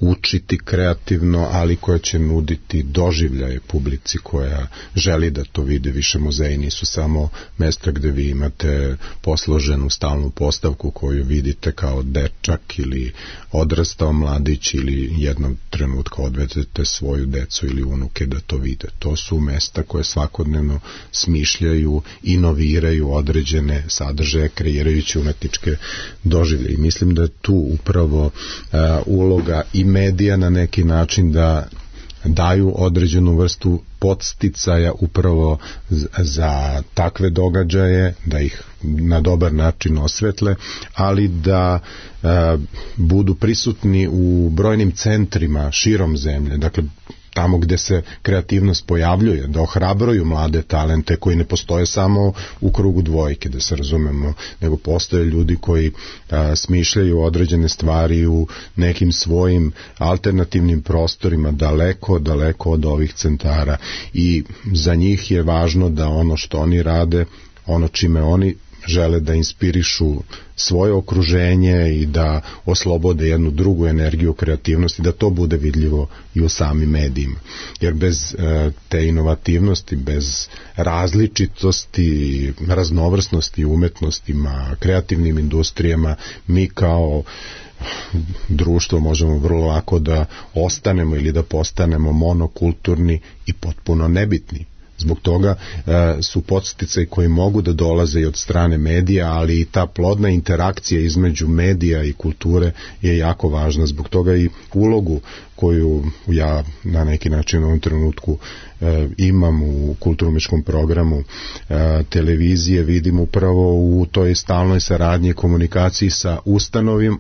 učiti kreativno, ali koja će nuditi doživljaje publici koja želi da to vide. Više muzeji nisu samo mesta gde vi imate posloženu stalnu postavku koju vidite kao dečak ili odrastao mladić ili jednog trenutka odvedete svoju decu ili unuke da to vide. To su mesta koje svakodnevno smišljaju, inoviraju određene sadržaje, kreirajući umetničke doživlje. I mislim da je tu upravo uloga i medija na neki način da daju određenu vrstu podsticaja upravo za takve događaje, da ih na dobar način osvetle, ali da budu prisutni u brojnim centrima širom zemlje, dakle tamo gde se kreativnost pojavljuje, da ohrabruju mlade talente koji ne postoje samo u krugu dvojke, da se razumemo, nego postoje ljudi koji smišljaju određene stvari u nekim svojim alternativnim prostorima, daleko od ovih centara, i za njih je važno da ono što oni rade, ono čime oni žele da inspirišu svoje okruženje i da oslobode jednu drugu energiju kreativnosti, da to bude vidljivo i u samim medijima. Jer bez te inovativnosti, bez različitosti, raznovrsnosti umetnostima, kreativnim industrijama, mi kao društvo možemo vrlo lako da ostanemo ili da postanemo monokulturni i potpuno nebitni. Zbog toga su podsticaji koji mogu da dolaze i od strane medija, ali i ta plodna interakcija između medija i kulture je jako važna. Zbog toga i ulogu koju ja na neki način u ovom trenutku imam u kulturno-umetničkom programu televizije, vidim upravo u toj stalnoj saradnji i komunikaciji sa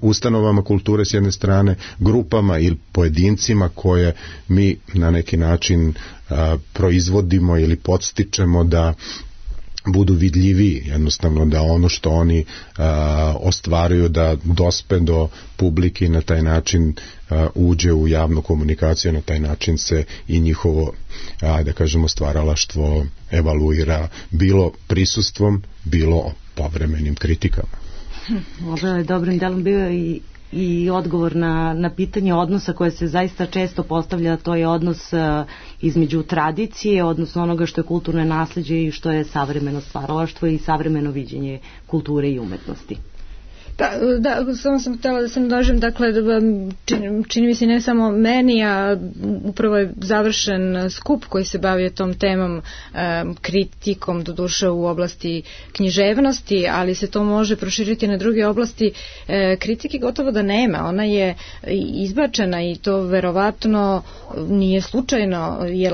ustanovama kulture s jedne strane, grupama ili pojedincima koje mi na neki način proizvodimo ili podstičemo da budu vidljiviji, jednostavno da ono što oni ostvaruju da dospe do publike i na taj način uđe u javnu komunikaciju, na taj način se i njihovo, da kažemo, stvaralaštvo evaluira, bilo prisustvom, bilo povremenim kritikama. Ovo je dobrim delom bio i odgovor na pitanje odnosa koje se zaista često postavlja, to je odnos između tradicije, odnosno onoga što je kulturno nasleđe i što je savremeno stvaralaštvo i savremeno viđenje kulture i umetnosti. Da, samo sam htjela da se nadožem, dakle, čini mi se ne samo meni, a upravo je završen skup koji se bavio tom temom, kritikom, doduše u oblasti književnosti, ali se to može proširiti na druge oblasti. Kritike gotovo da nema, ona je izbačena i to verovatno nije slučajno, jer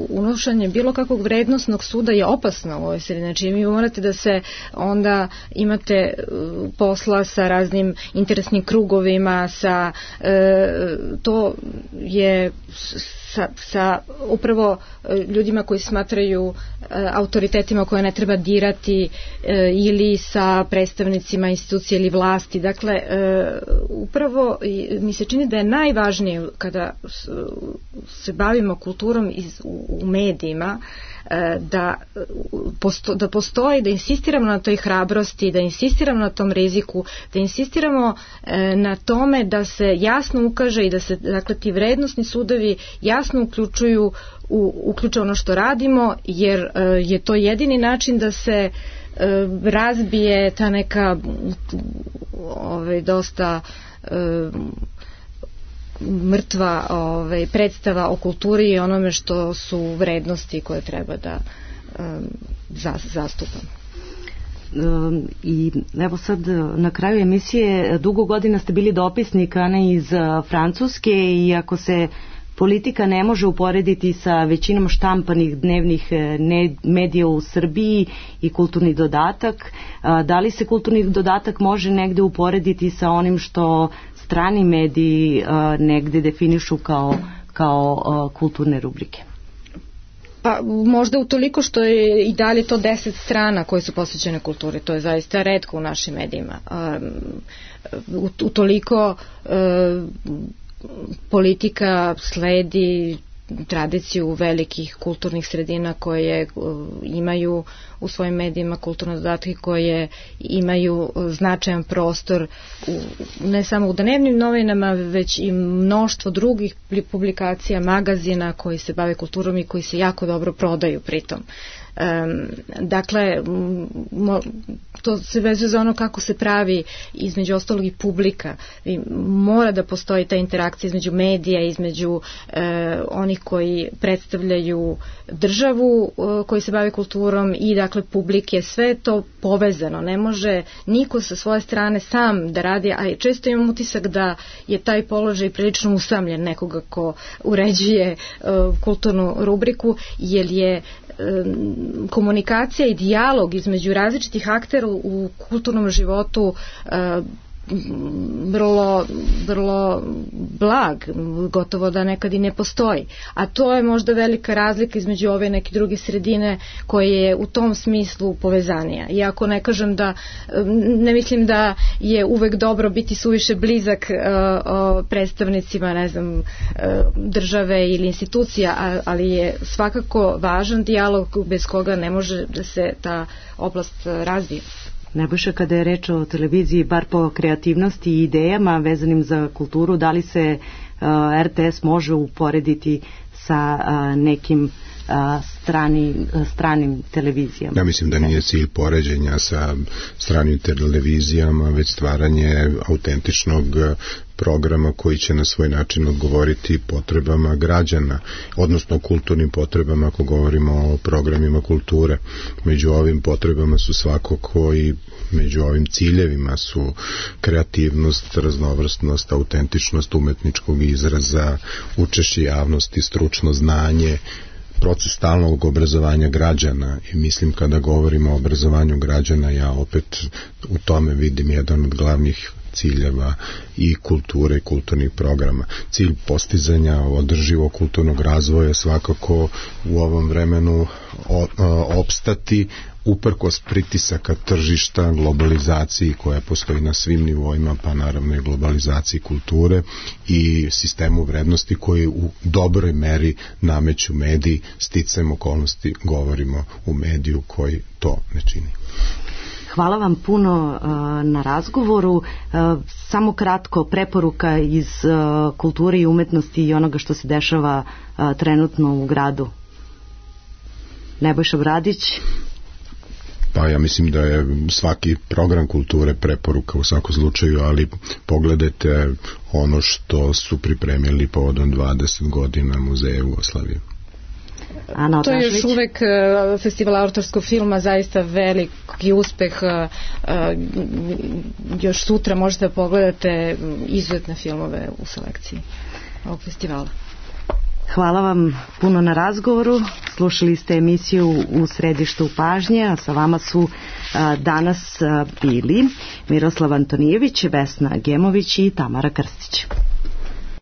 unošenje bilo kakvog vrednosnog suda je opasno u ovoj sredini. Znači, vi morate da se onda imate posla sa raznim interesnim krugovima, sa to je sa upravo ljudima koji smatraju autoritetima koje ne treba dirati, ili sa predstavnicima institucije ili vlasti. Dakle, upravo mi se čini da je najvažnije kada se bavimo kulturom u medijima, da postoji, da insistiramo na toj hrabrosti, da insistiramo na tom riziku, da insistiramo na tome da se jasno ukaže i da se, dakle, ti vrednosni sudovi jasno uključe ono što radimo, jer je to jedini način da se razbije ta neka dosta mrtva predstava o kulturi i onome što su vrednosti koje treba da zastupam. I evo sad na kraju emisije, dugo godina ste bili dopisnik, Ana, iz Francuske, i ako se politika ne može uporediti sa većinom štampanih dnevnih medija u Srbiji i kulturni dodatak, da li se kulturni dodatak može negde uporediti sa onim što strani mediji negde definišu kao kulturne rubrike? Pa možda utoliko što je i dalje to 10 strana koje su posvećene kulturi, to je zaista retko u našim medijima. Utoliko politika sledi tradiciju velikih kulturnih sredina koje imaju u svojim medijima kulturne dodatke, koje imaju značajan prostor ne samo u dnevnim novinama, već i mnoštvo drugih publikacija, magazina koji se bave kulturom i koji se jako dobro prodaju pritom. Dakle, to se vezuje za ono kako se pravi između ostalog i publika. Mora da postoji ta interakcija između medija, između onih koji predstavljaju državu koji se bave kulturom i, dakle, publike. Sve je to povezano. Ne može niko sa svoje strane sam da radi, a često imam utisak da je taj položaj prilično usamljen nekoga ko uređuje kulturnu rubriku, jer je komunikacija i dijalog između različitih aktera u kulturnom životu vrlo blag, gotovo da nekad i ne postoji. A to je možda velika razlika između ove neke druge sredine koje je u tom smislu povezanija. Iako ne kažem da, ne mislim da je uvek dobro biti suviše blizak predstavnicima, ne znam, države ili institucija, ali je svakako važan dijalog bez koga ne može da se ta oblast razvije. Nebojša, kada je reč o televiziji, bar po kreativnosti i idejama vezanim za kulturu, da li se RTS može uporediti sa nekim stranim televizijama? Ja mislim da nije cilj poređenja sa stranim televizijama, već stvaranje autentičnog programa koji će na svoj način odgovoriti potrebama građana, odnosno kulturnim potrebama, ako govorimo o programima kulture. Među ovim potrebama su svakako i među ovim ciljevima su kreativnost, raznovrsnost, autentičnost umetničkog izraza, učešće javnosti, stručno znanje, proces stalnog obrazovanja građana. I mislim, kada govorimo o obrazovanju građana, ja opet u tome vidim jedan od glavnih ciljeva i kulture i kulturnih programa. Cilj postizanja održivog kulturnog razvoja svakako u ovom vremenu opstati uprkos pritisaka tržišta, globalizaciji koja postoji na svim nivoima, pa naravno i globalizaciji kulture i sistemu vrednosti koji u dobroj meri nameću mediji, sticajem okolnosti govorimo u mediju koji to ne čini. Hvala vam puno na razgovoru. Samo kratko, preporuka iz kulture i umetnosti i onoga što se dešava trenutno u gradu. Nebojša Bradić. Pa ja mislim da je svaki program kulture preporuka u svakom slučaju, ali pogledajte ono što su pripremili povodom 20 godina Muzeja Jugoslavije. To je još uvek festival autorskog filma, zaista veliki uspeh. Još sutra možete da pogledate izuzetne filmove u selekciji ovog festivala. Hvala vam puno na razgovoru. Slušali ste emisiju U središtu pažnje, a sa vama su danas bili Miroslav Antonijević, Vesna Gemović i Tamara Krstić.